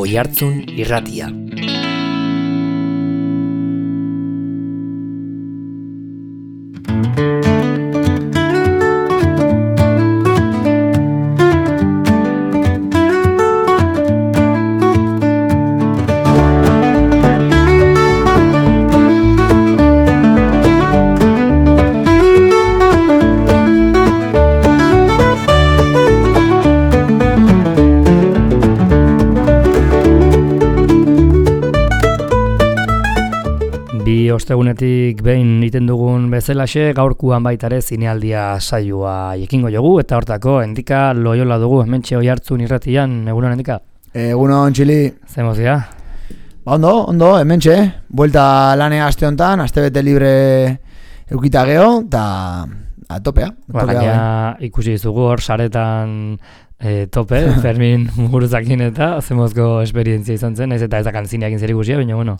Oihartzun Irratia. Ostegunetik behin egiten dugun bezalaxe, gaurkuan baita ere zinealdia saioa ekingo jogu, eta hortako Endika Loyola dugu, hementxe Oihartzun Irratian. Egunon, Endika? Egunon, Txili. Zer mozia? Ondo, hementxe, buelta lanea aste honetan, aste bete libre eukita geho, eta topea. Gaina ikusi dizugu hor saretan tope, Fermin Muguruzakin eta zemozko esperientzia izan zen, ez eta ez da kantzineakin zer ikusia, baina bueno.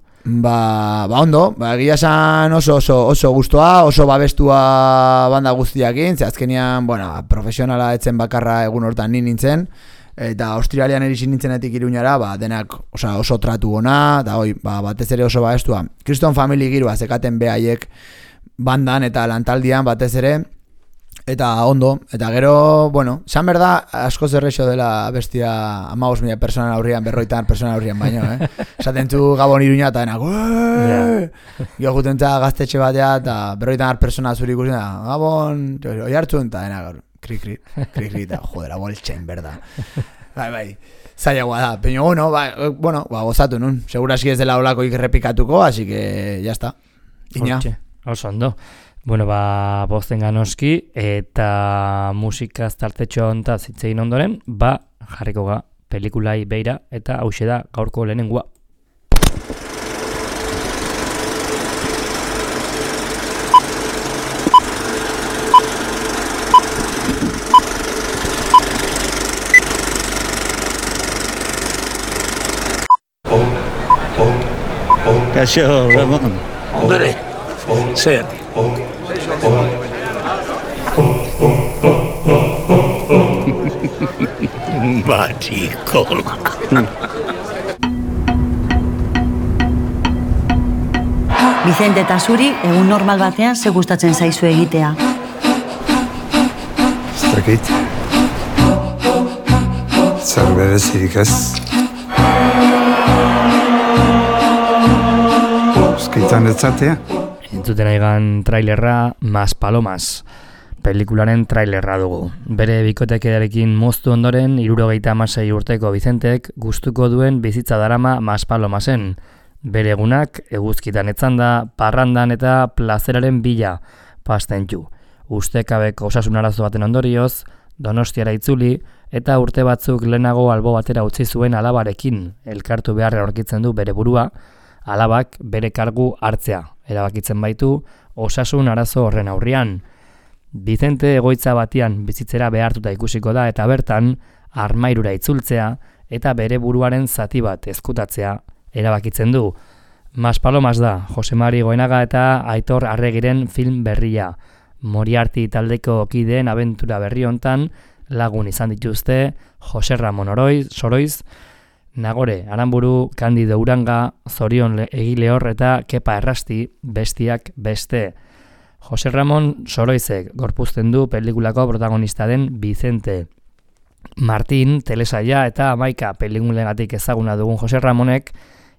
Ondo, egia esan oso gustoa, oso babestua banda guztiakin, ze azkenian, profesionala etzen bakarra egun hortan nintzen, eta Australian erixin nintzenetik Iruñara, denak oso tratu ona, eta batez ere oso babestua. Kriston Family giroa zekaten behaiek bandan eta lantaldian batez ere, eta ondo, eta gero, esan berda, asko zerrexo dela bestia 15.000 persona aurrian, 40 persona aurrian baino, esaten zu Gabon Iruña eta denak, gio jutentza gaztetxe batea, eta 40 persona zuri ikusten da, Gabon, Oihartzun, eta denak, kri, eta jodera, boltxein, berda. Bai, zailagoa da, pero gozatu nun, seguraski ez dela olako ikerrepikatuko, así que, ya está, Iña. Oso ondo. Bozten ganoski, eta musika tartetxo hontaz hitzein ondoren, jarriko ga pelikulai beira, eta hauxe da gaurko lehenengoa. Kaixo, Ramon. Ondore, zer? Batikola. Vicente eta zuri, egun normal batean ze gustatzen zaizu egitea? Ez dakit. Zer berezirik ez. Euskaitan etzatea. Entzuten aigan trailerra Mas Palomas, pelikularen trailerra dugu. Bere bikotekidearekin moztu ondoren, 76 urteko Vicentek gustuko duen bizitza darama Mas Palomasen. Bere egunak eguzkitan etzanda, parrandan eta plazeraren bila pastentxu. Ustekabeko osasun arazo baten ondorioz, Donostiara itzuli, eta urte batzuk lehenago albo batera utzi zuen alabarekin elkartu beharra aurkitzen du bere burua, alabak bere kargu hartzea, erabakitzen baitu osasun arazo horren aurrian. Vicente egoitza batian bizitzera behartuta ikusiko da eta bertan armairura itzultzea eta bere buruaren zati bat ezkutatzea erabakitzen du. Mas Palomas da, Jose Mari Goenaga eta Aitor Arregiren film berria. Moriarty taldeko kideen abentura berri hontan lagun izan dituzte Jose Ramon Soroiz, Nagore Aranburu, Kandido Uranga, Zorion Egilehor eta Kepa Errasti, bestiak beste. Jose Ramon Soroizek gorpuzten du pelikulako protagonista den Vicente. Martin, telesaia eta Amaika pelikulengatik ezaguna dugun Jose Ramonek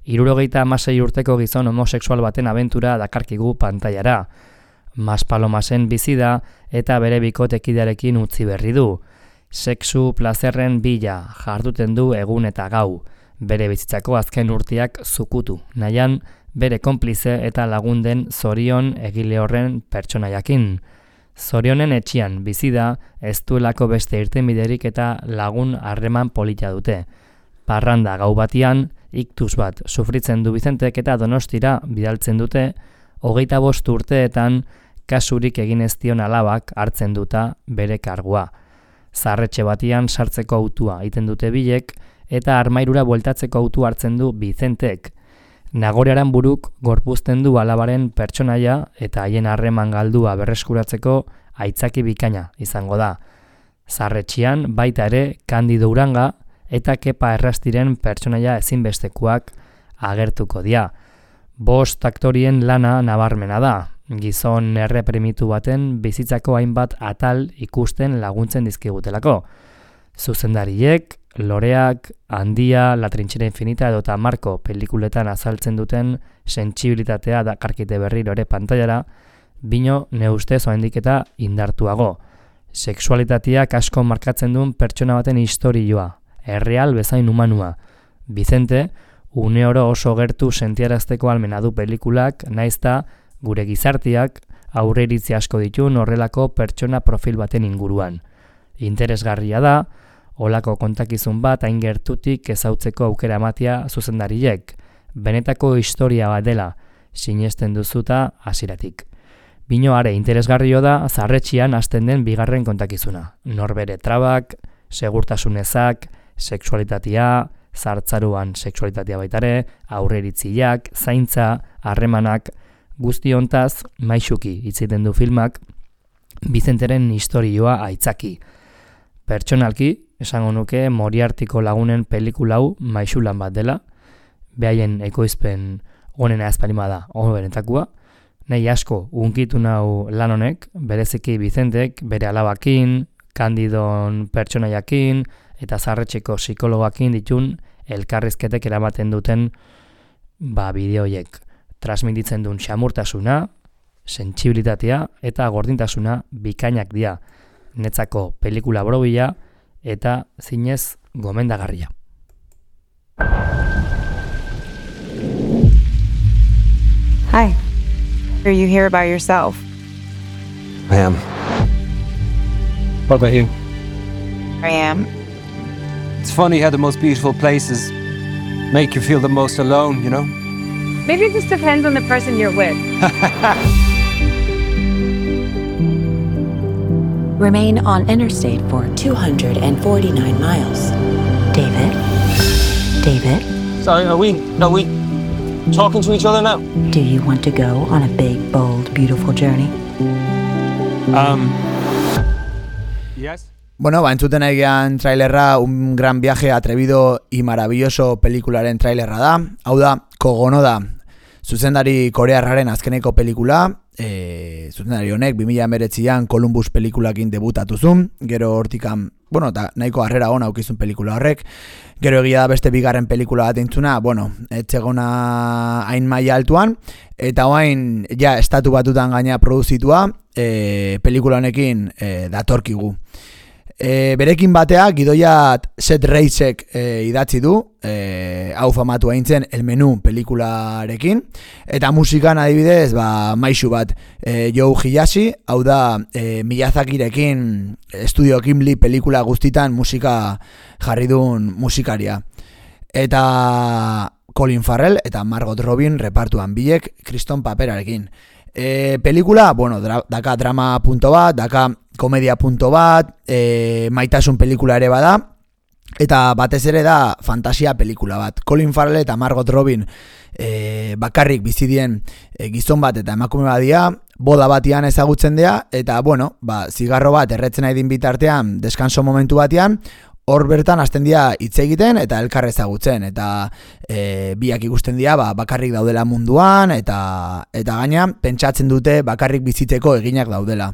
76 urteko gizon homosexual baten abentura dakarkigu pantailara. Mas Palomasen bizi da eta bere bikotekidearekin utzi berri du. Sexu plazerren bila jarduten du egun eta gau, bere bizitzako azken urteak zukutu, nahian bere konplize eta lagunden Zorion Egilehorren pertsonaiakin. Zorionen etxian bizi da, ez duelako beste irtenbiderik eta lagun harreman polita dute. Parranda gau batian, iktus bat sufritzen du Vicentek eta Donostira bidaltzen dute, 25 urteetan kasurik egin ez dion alabak hartzen duta bere kargua. Zarretxe batian sartzeko autua egiten dute bilek eta armairura bueltatzeko autu hartzen du Vicentek. Nagore Aranburuk gorpuzten du alabaren pertsonaia eta haien harreman galdua berreskuratzeko aitzaki bikaina izango da. Zarretxian baita ere Kandido Uranga eta Kepa Errastiren pertsonaia ezinbestekoak agertuko dira. 5 aktorien lana nabarmena da, gizon erreprimitu baten bizitzako hainbat atal ikusten laguntzen dizkigutelako. Zuzendariek, Loreak, Handia, La Trinchera Infinita edota Marko pelikuletan azaltzen duten sentsibilitatea dakarkite berriro ere pantailara, bino neustez oraindik eta indartuago. Sexualitateak asko markatzen duen pertsona baten istorioa, erreal bezain humanua. Vicente, une oro oso gertu sentiarazteko almena du pelikulak, naizta gure gizarteak aurreiritzi asko ditun horrelako pertsona profil baten inguruan. Interesgarria da, olako kontakizun bat hain gertutik ezautzeko aukera ematea zuzendariek, benetako historia bat dela, sinesten duzuta hasieratik. Bino are interesgarrio da zarretxian hasten den bigarren kontakizuna. Norbere trabak, segurtasunezak, sexualitatea, zartzaruan sexualitatea baitare, aurreritziak, zaintza, harremanak, guzti hontaz maisuki itziten du filmak Vicenteren istorioa aitzaki. Pertsonalki, esango nuke Moriartiko lagunen pelikula hau maisulan bat dela, behaien ekoizpen onena ezpalima da, benetakoa, nahi asko unkitu nau lan honek, bereziki Vicentek bere alabakin, Kandidon pertsonaiakin, eta zarretxeko psikologakin ditun elkarrizketek eramaten duten bideoiek. Transmititzen duen xamurtasuna, sentsibilitatea eta gordintasuna bikainak dira. Netzako pelikula borobila eta zinez gomendagarria. Hi. Are you here by yourself? I am. What about you? I am. It's funny how the most beautiful places make you feel the most alone, you know? Maybe it just depends on the person you're with. Remain on interstate for 249 miles. David? David? Sorry, are we talking to each other now? Do you want to go on a big, bold, beautiful journey? Yes. Bueno, entzuten egian trailerra, un gran viaje atrevido y maravilloso pelikularen trailerra da. Hau da, Kogonoda, zuzendari korearraren azkeneko pelikula, zuzendari honek 2019an Columbus pelikulakin debutatu zuen, gero hortikan, eta nahiko harrera ona aukizun pelikula horrek, gero egia da beste bigarren pelikula bat entzuna, etxegona hain maila altuan, eta oain, estatu batutan gaina produzitua, pelikula honekin datorkigu. Berekin batea, gidoia Seth Reisek idatzi du, hau famatu aintzen El Menú pelikularekin, eta musikan adibidez, maisu bat, Joe Hiyashi, hau da Miyazakirekin Studio Ghibli pelikula guztitan musika jarri duen musikaria. Eta Colin Farrell eta Margot Robbie repartuan biek kriston paperarekin. Pelikula, daka drama punto bat, daka komedia punto bat, maitasun pelikula ere bada, eta batez ere da fantasia pelikula bat. Colin Farrell eta Margot Robbie bakarrik bizidien gizon bat eta emakume badia, boda batian ezagutzen dea, eta zigarro bat erretzen nahi din bitartean, deskanso momentu batean, hor bertan hasten dira hitz egiten eta elkar ezagutzen, eta biak ikusten dira bakarrik daudela munduan, eta gaina pentsatzen dute bakarrik bizitzeko eginak daudela.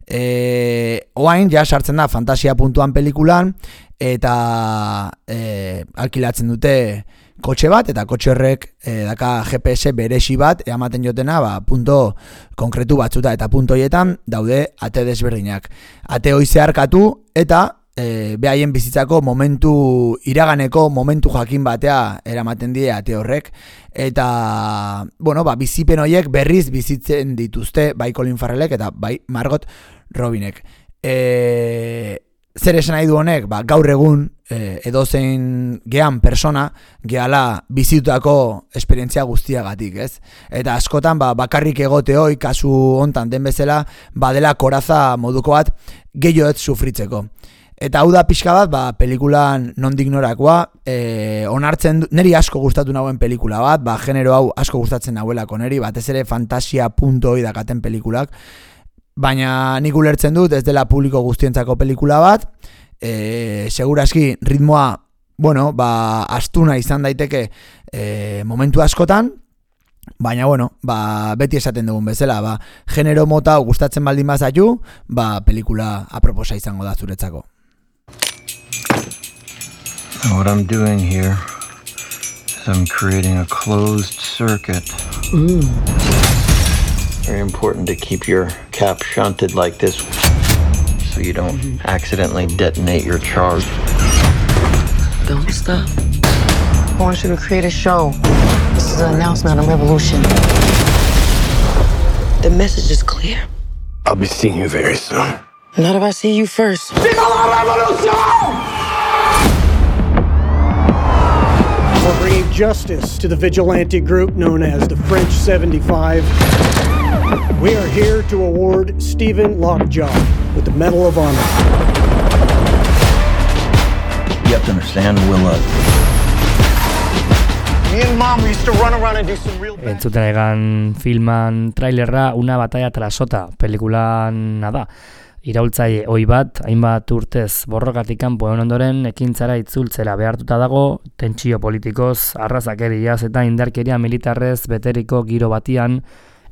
Oain sartzen da fantasia puntuan pelikulan, eta alkilatzen dute kotxe bat, eta kotxe horrek daka GPS beresi bat ematen jotena punto konkretu batzuta, eta punto horietan daude ate desberdinak. Ate hoi zeharkatu eta behaien bizitzako iraganeko momentu jakin batea eramaten die ate horrek, eta bizipen horiek berriz bizitzen dituzte bai Colin Farrellek eta bai Margot Robbinek. Zer esan nahi du honek? Gaur egun edozein gehan persona gehala bizitutako esperientzia guztiagatik, ez? Eta askotan bakarrik egote hoi, kasu hontan den bezala, badela koraza moduko bat gehiago ez sufritzeko. Eta hau da pixka bat, pelikulan nondik norakoa, onartzen, neri asko gustatu nagoen pelikula bat, genero hau asko gustatzen nahuelako neri, batez ere fantasia punto hoi dakaten pelikulak, baina nik ulertzen dut ez dela publiko guztientzako pelikula bat, seguraski ritmoa bueno, astuna izan daiteke momentu askotan, baina, bueno, beti esaten dugun bezala, genero mota gustatzen baldin bazaitu, pelikula aproposa izango da zuretzako. What I'm doing here is I'm creating a closed circuit. Very important to keep your cap shunted like this so you don't accidentally detonate your charge. Don't stop. I want you to create a show. This is an announcement, a revolution. The message is clear. I'll be seeing you very soon. Not if I see you first. We're bringing justice to the vigilante group known as the French 75. We are here to award Stephen Lockjaw with the Medal of Honor. You have to understand, Willa. Me and Mom used to run around and do some real bad. Entzuten egan filman trailerra Una batalla tras otra pelikulan da. Iraultzaile ohi bat, hainbat urtez borrokatik kanpo egon ondoren ekintzara itzultzera behartuta dago, tentsio politikoz, arrazakeriaz eta indarkeria militarrez beteriko giro batian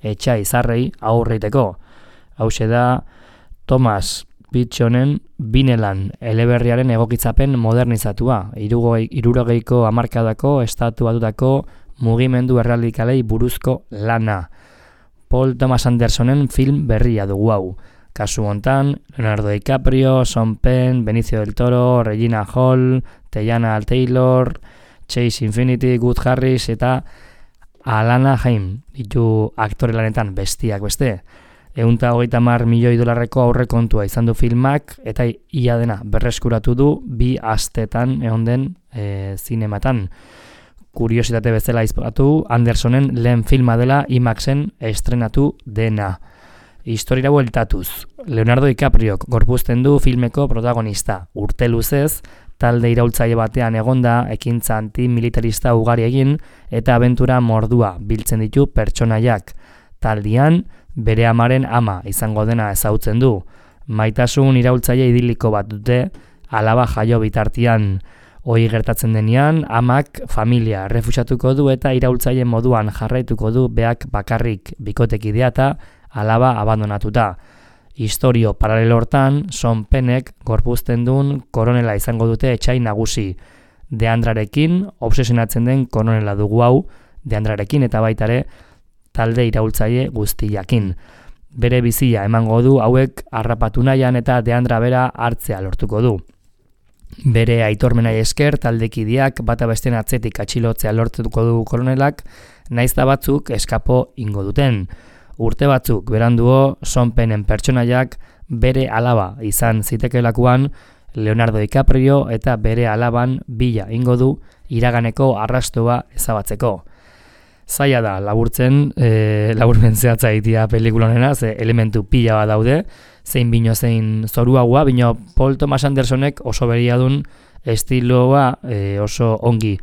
etxai zarrei aurreiteko. Hauxe da Thomas Pynchonen Binelan eleberriaren egokitzapen modernizatua, 60ko hamarkadako estatu batutako mugimendu erradikalei buruzko lana. Paul Thomas Andersonen film berria dugu hau. Kasu hontan, Leonardo DiCaprio, Sean Penn, Benicio del Toro, Regina Hall, Teyana Taylor, Chase Infinity, Good Harris eta Alana Haim ditu aktore lanetan bestiak beste. $130 milioi aurrekontua izan du filmak eta ia dena berreskuratu du 2 astetan egon den zinematan. Kuriositate bezala aipatu, Andersonen lehen filma dela IMAXen estrenatu dena. Historiara bueltatuz, Leonardo DiCapriok gorpuzten du filmeko protagonista. Urte luzez, talde iraultzaile batean egonda, ekintza antimilitarista ugari egin eta abentura mordua biltzen ditu pertsonaiak. Taldian, bere amaren ama izango dena ezagutzen du. Maitasun iraultzaile idiliko bat dute, alaba jaio bitartian. Hoi gertatzen denean, amak familia errefusatuko du eta iraultzaile moduan jarraituko du beak bakarrik bikotekidea eta alaba abandonatuta. Historio paralelo hortan, Sean Pennek gorpuzten duen koronela izango dute etxai nagusi. Deandrarekin, obsesionatzen den koronela dugu hau, Deandrarekin eta baitare talde iraultzaile guztiakin. Bere bizia emango du hauek harrapatu nahian eta Deandra bera hartzea lortuko du. Bere aitormenai esker taldekideak bata besteen atzetik atxilotzea lortuko du koronelak, naizta batzuk eskapo ingo duten. Urte batzuk beranduo Sean Pennen pertsonaiak bere alaba izan zitekelakuan Leonardo DiCaprio eta bere alaban bila ingo du iraganeko arrastoa ezabatzeko. Zaila da laburtzen, laburmen zehatza egitea pelikula honena, ze elementu pila bat daude, zein bino zein zoruagoa, bino Paul Thomas Andersonek oso beriadun estiloa oso ongi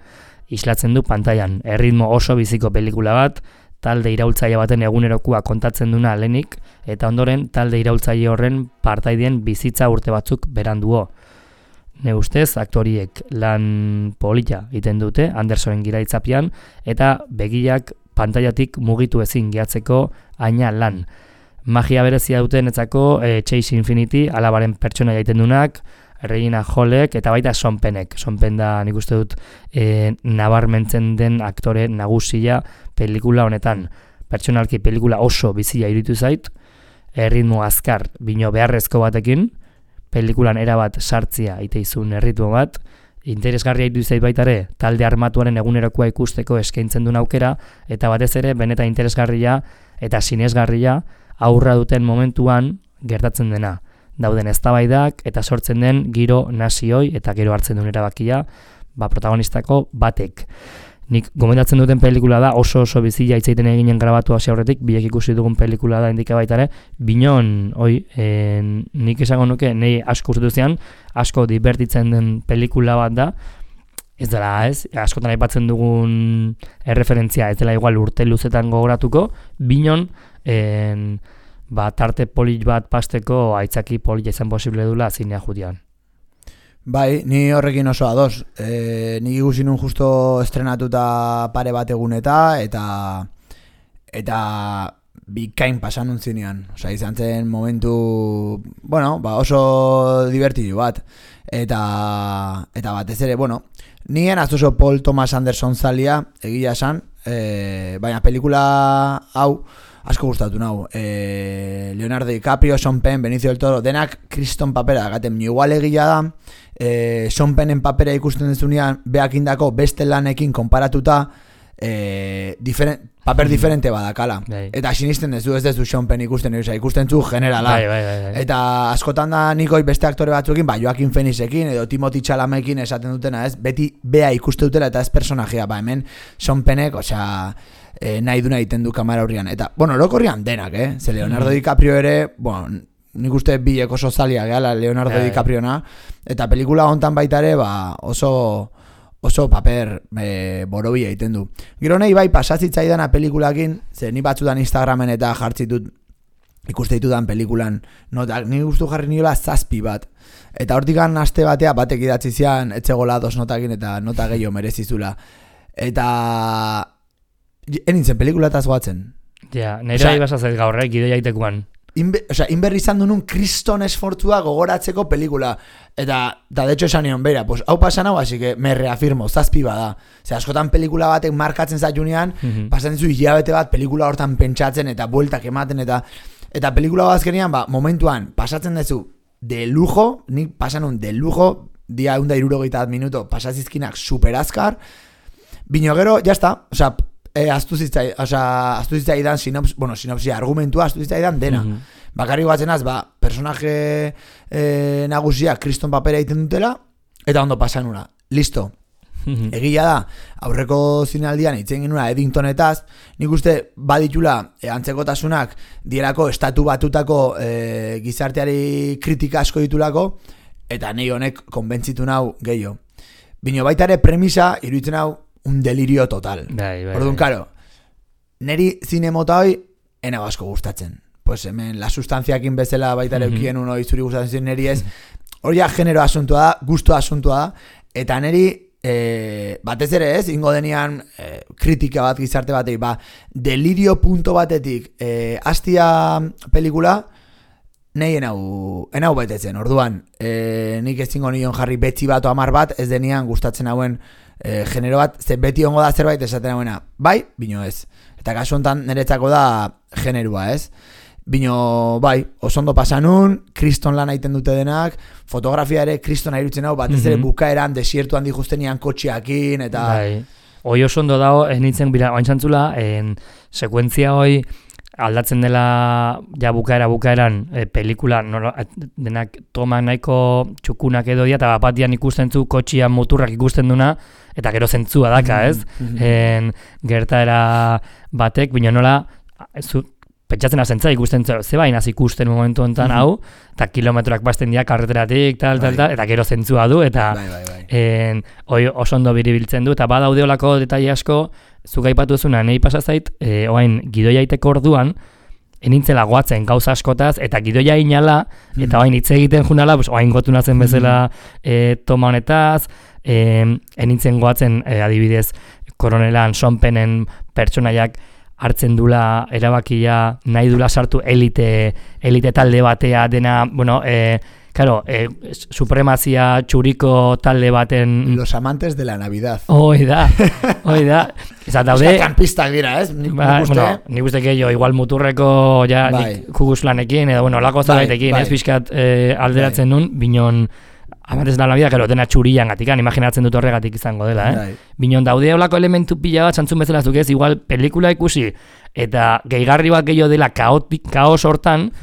islatzen du pantailan. Erritmo oso biziko pelikula bat, talde iraultzaile baten egunerokoa kontatzen duna lehenik, eta ondoren talde iraultzaile horren partaideen bizitza urte batzuk beranduo. Ne ustez, aktoriek lan polita egiten dute Andersonen giraitzapian, eta begiak pantailatik mugitu ezin gehatzeko aina lan. Magia berezia dutenetzako Chase Infinity, alabaren pertsona egiten dunak, Regina Hallek eta baita Sean Pennek. Sean Penn da nik uste dut nabarmentzen den aktore nagusia pelikula honetan. Pertsonalki pelikula oso bizia iruditu zait, erritmo azkar bino beharrezko batekin, pelikulan erabat sartzia iteizun erritmo bat, interesgarria iruditu zait baitare talde armatuaren egunerokoa ikusteko eskaintzen duen aukera, eta batez ere benetan interesgarria eta sinesgarria aurra duten momentuan gertatzen dena. Dauden eztabaidak eta sortzen den giro nazioi eta gero hartzen duen erabakia protagonistako batek. Nik gomendatzen duten pelikula da, oso bizia itzaiten eginen grabatu hasi aurretik, biek ikusi dugun pelikula da indika baitare, binon, nik esango nuke, nahi asko urtetuzean, asko divertitzen den pelikula bat da, ez dela askotan aipatzen dugun erreferentzia, ez dela igual urte luzetan gogoratuko, binon, tarte polit bat pasteko aitzaki polit izan posible dula zinea judian. Bai, ni horrekin oso ados. Nik ikusi nun justo estrenatuta pare bat eguneta, eta bikain pasan nuntzinean. Osa, izan zen momentu, bueno, oso divertidu bat. Eta batez ere, bueno, nien oso Paul Thomas Anderson zalia, egia esan, baina pelikula hau asko gustatu nau. Leonardo DiCaprio, Sean Penn, Benicio del Toro, denak kriston papera gaten. Igual egia da, Sean Pennen papera ikusten dezunean beak indako beste lanekin konparatuta paper diferente badakala. Eta sinisten dezu, ez dezu Sean Penn ikusten zu generala. Eta askotan da nikoi beste aktore batzuekin, Joaquin Phoenixekin edo Timothy Chalametekin esaten dutena, ez? Beti bea ikuste dutela eta ez personajea. Hemen Sean Pennek, osea, nahi duna egiten du kamera aurrian. Eta, bueno, orokorrian denak, Ze Leonardo DiCaprio ere, bueno, nik uste bilek oso zalia gehala Leonardo DiCapriona, eta pelikula hontan baita ere, oso paper borobia egiten du. Gero nahi bai pasatzitzaidan pelikulakin, ze ni batzutan Instagramen eta jartzitut ikuste ditudan pelikulan notak, ni gustu jarri niola 7 bat. Eta hortikan aste batea batek idatzi zian etzegola 2 notakin eta nota gehiago merezizula. Eta enintzen pelikulataz goatzen. Ja, nire bai basazet gaur, gidoia itekuan. Inberri izan dunun kriston esfortzua gogoratzeko pelikula. Eta de hecho esan nion, beira, pues hau pasan hau, así que me reafirmo, 7 bada. Zer, askotan pelikula batek markatzen zaitunean, pasan dizu hilabete bat pelikula hortan pentsatzen eta bueltak ematen eta pelikula bat azkenean, momentuan pasatzen dezu de lujo, nik pasanun de lujo, dia 160 minuto pasazizkinak super azkar, bino gero, jazta, osea, aztu zitzaidan sinopsia, argumentua aztu zitzaidan dena. Bakarrik batzenaz, personaje nagusia kriston papera egiten dutela, eta ondo pasanura. Listo. Egia da, aurreko zinaldian itzen genuna Eddingtonetaz, nik uste baditula antzekotasunak dielako estatu batutako gizarteari kritika asko ditulako, eta nahi honek konbentzitu nau gehiago. Bino baita ere premisa, iruditzen hau, un delirio total. Orduan, karo, neri zine mota hoi, ena asko gustatzen. Pues hemen, la sustanziakin bezala baita ere eukien uno izuri gustatzen neri ez, hori ja genero asuntua da, gusto asuntua da, eta neri batez ere ez, ingo denian kritika bat gizarte batei, delirio punto batetik hastia pelikula, nahi enau betetzen, orduan nik ez zingo nion jarri betzi bat o 10 bat, ez denian gustatzen hauen genero bat, ze beti ongo da zerbait esaten hauena, bai, bino ez. Eta kasu honetan niretzako da generua, ez? Bino, bai, osondo pasanun, kriston lan egiten dute denak, fotografia ere kriston ahirutzen hau, batez ere bukaeran, desiertuan dijustenian kotxeakin, eta... Bai, hoi osondo dago, ez nintzen, oaintzantzula, sekuentzia hoi, aldatzen dela ja bukaeran pelikula denak toma nahiko txukunak edo dia, eta bapatian ikusten zu kotxian muturrak ikusten duna, eta gero zentzua daka, ez? Gertaera batek, bino nola, pentsatzen azentza ikusten ze bainaz ikusten momentu honetan hau, eta kilometroak basten dira karreteratik, eta gero zentzua du, eta hoi oso ondo biribiltzen du, eta badaude olako detaile asko, zuk aipatu zuna, nahi pasazait, oain gidoia iteko orduan, enintzela goatzen gauza askotaz, eta gidoia inala, eta oain hitz egiten junala, oain gotu nazen bezala toma honetaz, enintzen goatzen adibidez koronelan Sean Pennen pertsonaiak hartzen dula erabakia nahi dula sartu elite talde batea dena, bueno, supremazia txuriko talde baten... Los amantes de la Navidad. Hoi da. Eza daude... Kampistak dira, ez? Nik uste gehiago, igual muturreko ja kuguslanekin, edo, bueno, lako zagaitekin, ez pixkat alderatzen nun, binon... Amantes da la vida, gero dena txurian gatikan, imaginatzen dut horregatik izango dela, Binon daude olako elementu pila bat, santzun bezala zuk ez, igual pelikula ikusi, eta gehigarri bat gehiago dela kaos hortan,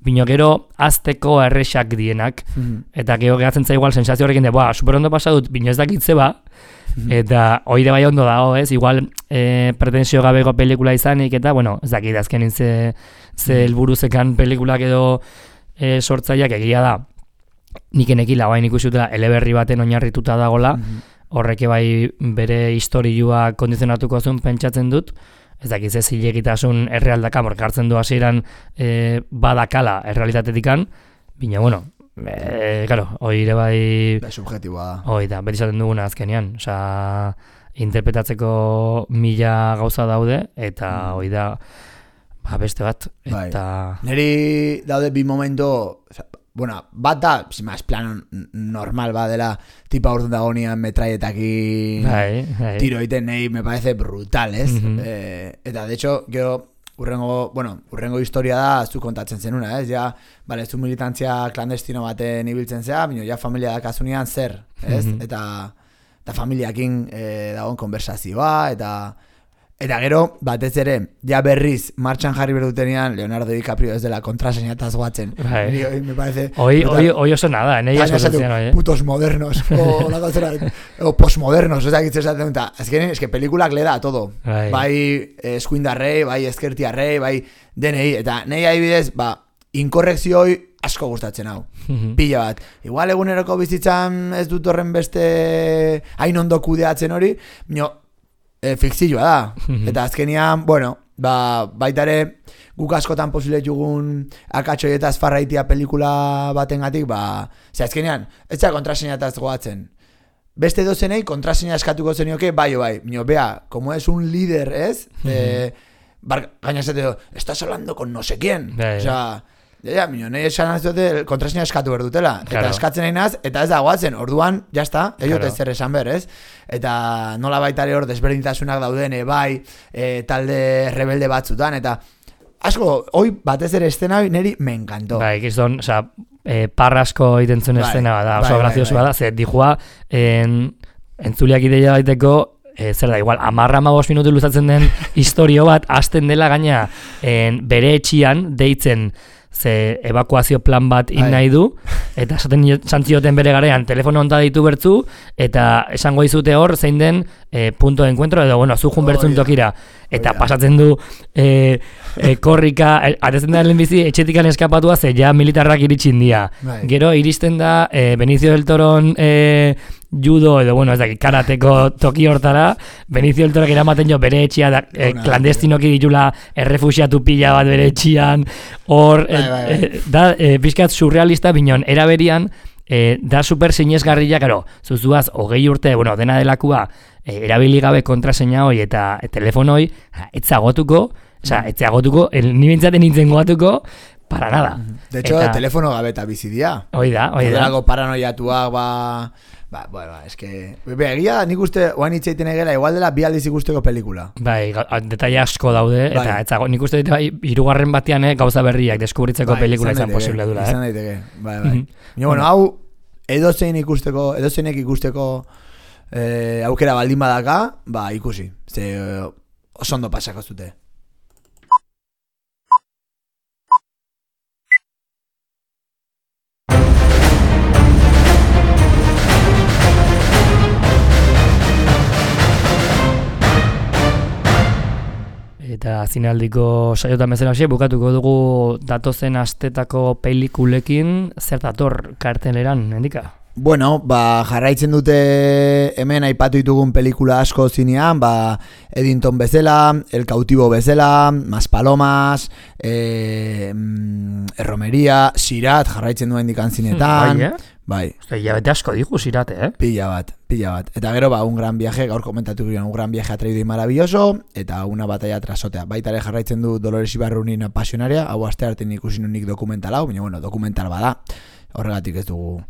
bino gero azteko errexak dienak, eta gero gehatzen za igual sensazio horrekin de, super ondo pasadut, bino ez dakitze eta oire bai ondo dago, ez, igual pretensio gabeko pelikula izanik, eta, bueno, ez dakit azkenin ze helburuzekan pelikulak edo sortzaileak egia da, nik enekila, bain ikusutela eleberri baten oinarrituta dagola, horreke bai bere historiua kondizionatuko zuen pentsatzen dut, ez dakiz ez zilegitasun errealdaka, morka hartzen du hasieran badakala errealitatetikan, bina, bueno, Claro, hori ere bai... Subjetiboa da. Hoi da, beti esaten duguna azkenean. Osea, interpretatzeko 1000 gauza daude, eta hoi da, beste bat. Eta... Neri daude bi momento... Bueno, bat da, más plano normal ba dela tipa urten dagonean metralletakin tiro egiten nahi, me parece brutal, ez? Eta, de hecho, gero urrengo historia da zu kontatzen zenuna, ez? Ja, bale, zu militantzia klandestino baten ibiltzen zea, bino, ja familia dakasunean zer, ez? Eta familiakin dagoen konversazioa, eta gero, batez ere, ja berriz, martxan jarri berdutenean, Leonardo DiCaprio ez dela kontraseñataz guatzen. Me parece... Hoy oso nada, en ellas cosas zian, putos modernos, o postmodernos, o sea, que esaten dut, es que pelikulak le da todo. Bai eskuindarrei, bai ezkertiarrei, bai denei, eta nahi adibidez, inkorrekzioi asko gustatzen hau. Pila bat. Igual eguneroko bizitzan ez dut horren beste hain ondo kudeatzen hori, fikzioa da. Eta azkenian, baita ere guk askotan posible jugun akatxoietaz farraitia pelikula batengatik, ze azkenian, ez da kontraseñataz goatzen. Beste dozenei kontraseña eskatuko zenioke, bai, bea, como es un líder, ez? Gaina zete, estás hablando con no sé quién. O sea, nahi esan aziote kontraseña eskatu berdutela. Eta eskatzen nahi naz, eta ez da goatzen, orduan, jazta, ez zer esan ber, ez? Eta nola baitare hor desberdintasunak dauden, bai, talde rebelde batzutan, eta asko, hoi batez ere estena niri me encantó. Bai, gizton, oza, parrasko itentzun estena bada, oso grazioso bada, ze dijua, entzuliak ideia baiteko, zer da, igual, 10-15 minutu luzatzen den historio bat, hasten dela gaina bere etxian deitzen ze evakuazio plan bat nahi du, eta esaten zantzioten bere garean telefono onta ditu bertzu, eta esango dizute hor zein den punto de encuentro, edo, zu jun bertzun tokira, eta pasatzen du korrika, atezen da lehenbizi etxetikan eskapatua, ze ja militarrak iritsin dia. Gero iristen da Benicio del Toron judo, edo, ez dakit, karateko toki hortara, Benicio del Torak eramaten jo bere etxia, klandestinoki ditula errefuxiatu pila bat bere etxian, hor, da, pixkat surrealista, binon, eraberian, da super sinezgarria, karo, zuzuaz, 20 urte, dena delakua, erabili gabe kontraseina hoi eta telefonoi, etzagotuko, ni bentsaten nintzen goatuko, para nada. De hecho, telefono gabe eta bizidia. Oida. Odelako paranoiatuak, es que... Egia, nik uste, oain itxeiten egela, igual dela bi aldiz ikusteko pelikula. Bai, detaile asko daude, eta nik uste dut, hirugarren batean gauza berriak deskubritzeko pelikula izan posible dula. Izan daiteke, bai. Hau, edozeinek ikusteko aukera baldin badaka, ikusi. Ze oso ondo pasako zute. Eta zinaldiko saiotan bezala bukatuko dugu datozen astetako pelikulekin, zer dator karteleran, endika? Bueno, jarraitzen dute hemen aipatu ditugun pelikula asko zinean, Eddington bezala, El cautivo bezala, Maspalomas, Erromeria, Sirat jarraitzen duen dikan zinetan. Bai. Bete asko digu Sirate, Pilla bat. Eta gero, un gran viaje, gaur komentatu girean, un gran viaje atraído y maravilloso, eta una batalla trasotea. Baita ere jarraitzen du Dolores Ibarrunin Apasionaria, hau aste arte ikusi nunik dokumental hau, baina, dokumental bada, horregatik ez dugu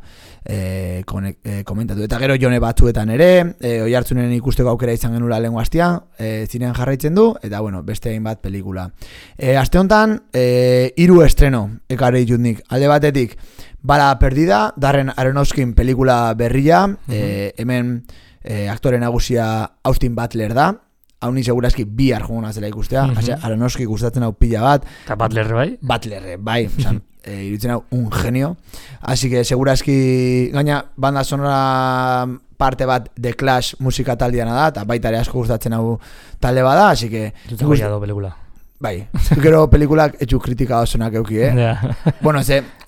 komentatu. Eta gero jone batzuetan ere, Oiartzunen ikusteko aukera izan genula lehengo astean, zinean jarraitzen du, eta beste hainbat pelikula. Aste honetan, 3 estreno, ekarri ditut nik, alde batetik, Bala Perdida, Darren Aronofskin pelikula berria, hemen aktore nagusia Austin Butler da, hau ni segurazki bihar juguna zela ikustea, Aronofsky gustatzen hau pila bat. Eta Butler bai? Butler bai, iruditzen hau un genio, así que segurazki gaina banda sonora parte bat The Clash musika taldeana da, eta baita ere asko gustatzen hau talde bada, así que... Zutzen goiado pelikula. Bai, gero pelikulak etxu kritika osonak euki, Bueno,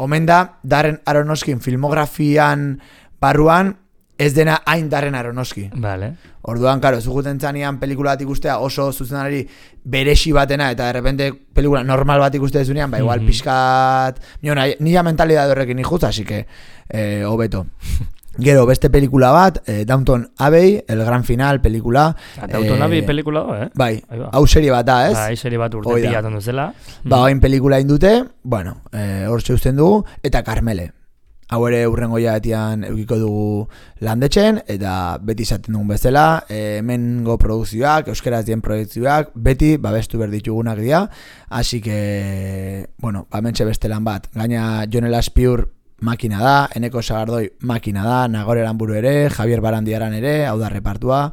omen da, Darren Aronofskin filmografian barruan, ez dena hain darren aronoski. Vale. Orduan, karo, zuguten zanean pelikula bat ikustea oso zuzenari beresi batena, eta de repente pelikula normal bat ikuste dezunean, ba igual pixkat, nila mentalidad horrekin ikut, así que, hobeto. Gero, beste pelikula bat, Downton Abbey, El Gran Final pelikula. Downton Abbey pelikula da, Bai, hau serie bat da, ez? Bai, serie bat urte pilatzen duzela. Ba, hain pelikula indute, bueno, hor zeusten dugu, eta Carmele. Hau ere urrengo jaetian eukiko dugu landetxen, eta beti izaten dugun bezala, hemengo produkzioak, euskeraz dien produkzioak, beti babestu berditugunak dira, así que, bueno, mentxe beste lan bat. Gaina Jon Elaspiur makina da, Eneko Sagardoi makina da, Nagore Aramburu ere, Javier Barandiaran ere, hau da repartua,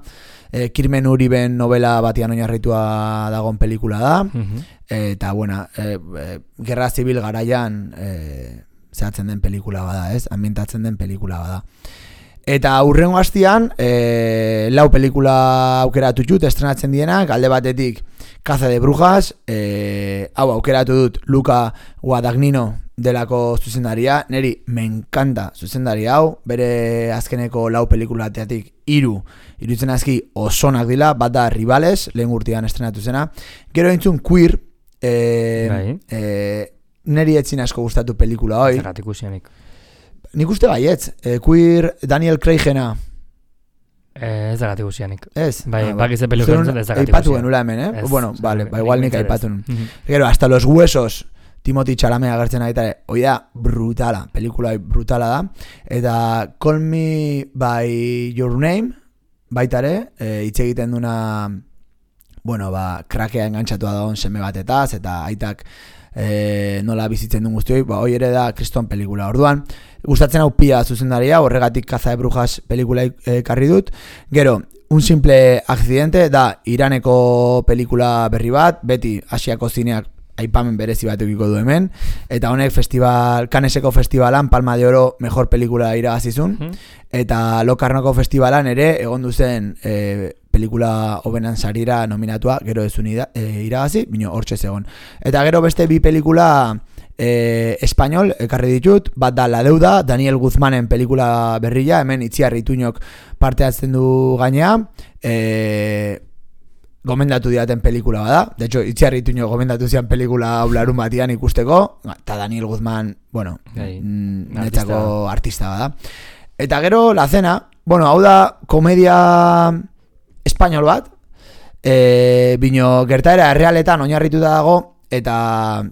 Kirmen Uriben novela batian oinarritua dagoen pelikula da, eta, bueno, Gerra Zibil garaian zehatzen den pelikula bada, ez? Ambientatzen den pelikula bada. Eta urrengo hastian, lau pelikula aukeratu dut, estrenatzen dienak, alde batetik Caza de Brujas, hau aukeratu dut Luca Guadagnino delako zuzendaria, neri me encanta zuzendaria hau, bere azkeneko lau pelikulateatik irutzen azki osonak dila, bat da Rivales, lehen urtean estrenatu zena, gero entzun Queer, neri etzin asko gustatu pelikula hoi. Zerratik usianik. Nik uste baietz, Queer, Daniel Craigena. Ez dagatik usianik. Ez? Bai, bakize pelikula entzun ez dagatik usianik. Aipatu genula hemen, Bueno, vale, igual nik aipatu nun. Gero, hasta los huesos, Timothy Chalamet agertzen aitare, hoi da brutala, pelikula brutala da. Eta Call Me By Your Name, baitare, hitz egiten duna, bueno, krakea engantzatu dagoen seme batetaz, eta aitak nola bizitzen duen guztioi, hoi ere da kriston pelikula. Orduan, gustatzen hau pia zuzendaria, horregatik Caza de Brujas pelikula ekarri dut. Gero, Un simple accidente da Iraneko pelikula berri bat, beti Asiako zineak aipamen berezi bat eukiko du hemen, eta honek Canneseko festivalan Palma de Oro mejor pelikula irabazizun, eta Locarnoko festivalan ere egon duzen pelikula hobenan sarira nominatua, gero ezun irabazi, bino hortxe zegon. Eta gero beste bi pelikula espainol ekarri ditut, bat da La Deuda, Daniel Guzmanen pelikula berria, hemen Itziar Ituñok parte hartzen du gainea, gomendatu diaten pelikula bada. De hecho, Itziar Ituñok gomendatu zian pelikula aularun batian ikusteko, eta Daniel Guzman, bueno, netzako artista bada. Eta gero, La Cena, bueno, hau da komedia espainol bat, bino gertaera errealetan oinarrituta dago, eta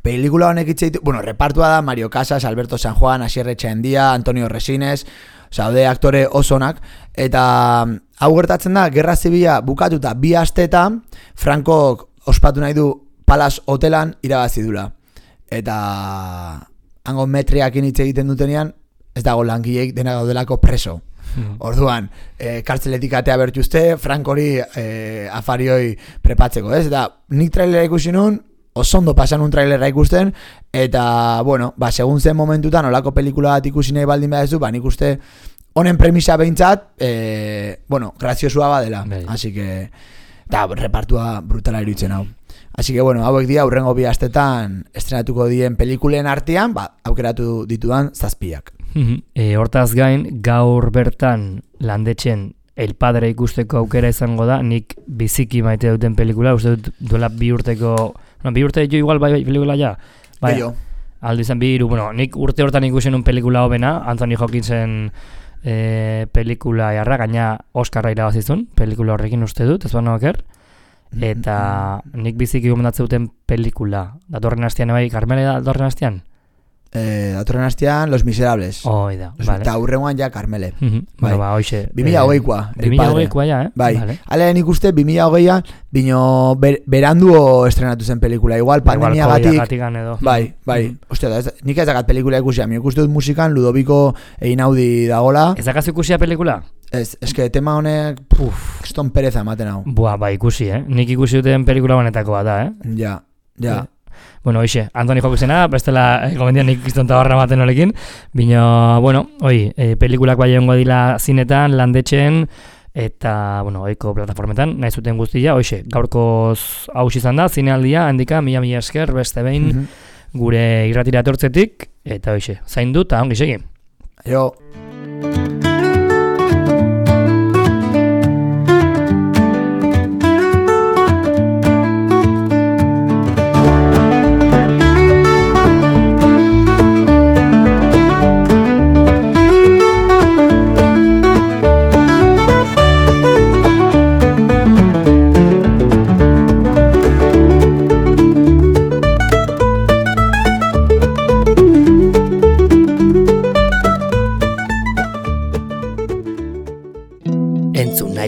pelikula honek itxeitu, bueno, repartua da Mario Casas, Alberto San Juan, Asier Etxaendia, Antonio Resines, zaude aktore osonak, eta hau gertatzen da, Gerra Zibila bukatuta 2 asteetan, Frankok ospatu nahi du Palace Hotelan irabazi dula. Eta hango metriakin hitz egiten dutenean, ez dago langileik dena gaudelako preso. Orduan, kartzeletik atea bertuzte, Frank hori afarioi prepatzeko, ez? Eta nik trailera ikusi nun, oso ondo pasan un trailera ikusten, eta, bueno, segun zen momentutan, olako pelikula bat ikusi nahi baldin behar nik uste honen premisa behintzat, bueno, graziosua badela. Así que, eta repartua brutala iruditzen hau. Así que, bueno, hauek dira, urrengo 2 astetan estrenatuko dien pelikulen artean, aukeratu ditudan 7. Hortaz gain, gaur bertan landetxen El Padre ikusteko aukera izango da, nik biziki maite duten pelikula, uste dut duela 2 urteko, 2 urte jo igual bai pelikula ja? Bai, aldo izan 2 hiru, bueno, nik urte hortan ikusen un pelikula hobena, Anthony Hopkinsen pelikula jarra, gaina Oscarra irabazizun, pelikula horrekin uste dut, ez baina oker, eta nik biziki gomendatzen duten pelikula, datorren hastian bai, Carmele datorren hastian? Datorren hastian Los Miserables. Oida, vale. Eta urrengoan ja Carmele. Bueno, hoxe. 2020koa. 2020koa ja, Bai. Hale nik uste 2020an, bino beranduo estrenatu zen pelikula. Igual pandemiagatik. Bai. Ostia, nik ez dakat pelikula ikusia. Mi ikuste dut musikan Ludoviko Einaudi dagola. Ez dakaz ikusia pelikula? Ez, eske tema honek, kriston pereza ematen hau. Bai, ikusi, Nik ikusi duten pelikula honetako bat da, Ja. Bueno, hoxe, Anthony Hopkinsena, bestela gomendian nik izton tabarra maten horekin, bino, bueno, pelikulak bai egongo dila zinetan, landetxen, eta, bueno, oiko plataformetan, nahi zuten guztia, hoxe, gaurkoz haus izan da, zinealdia, handika, mila esker, beste behin, gure irratira etortzetik, eta hoxe, zaindu, eta ongi segi. Jo.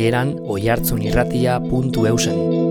amaieran oihartzunirratia.eusen.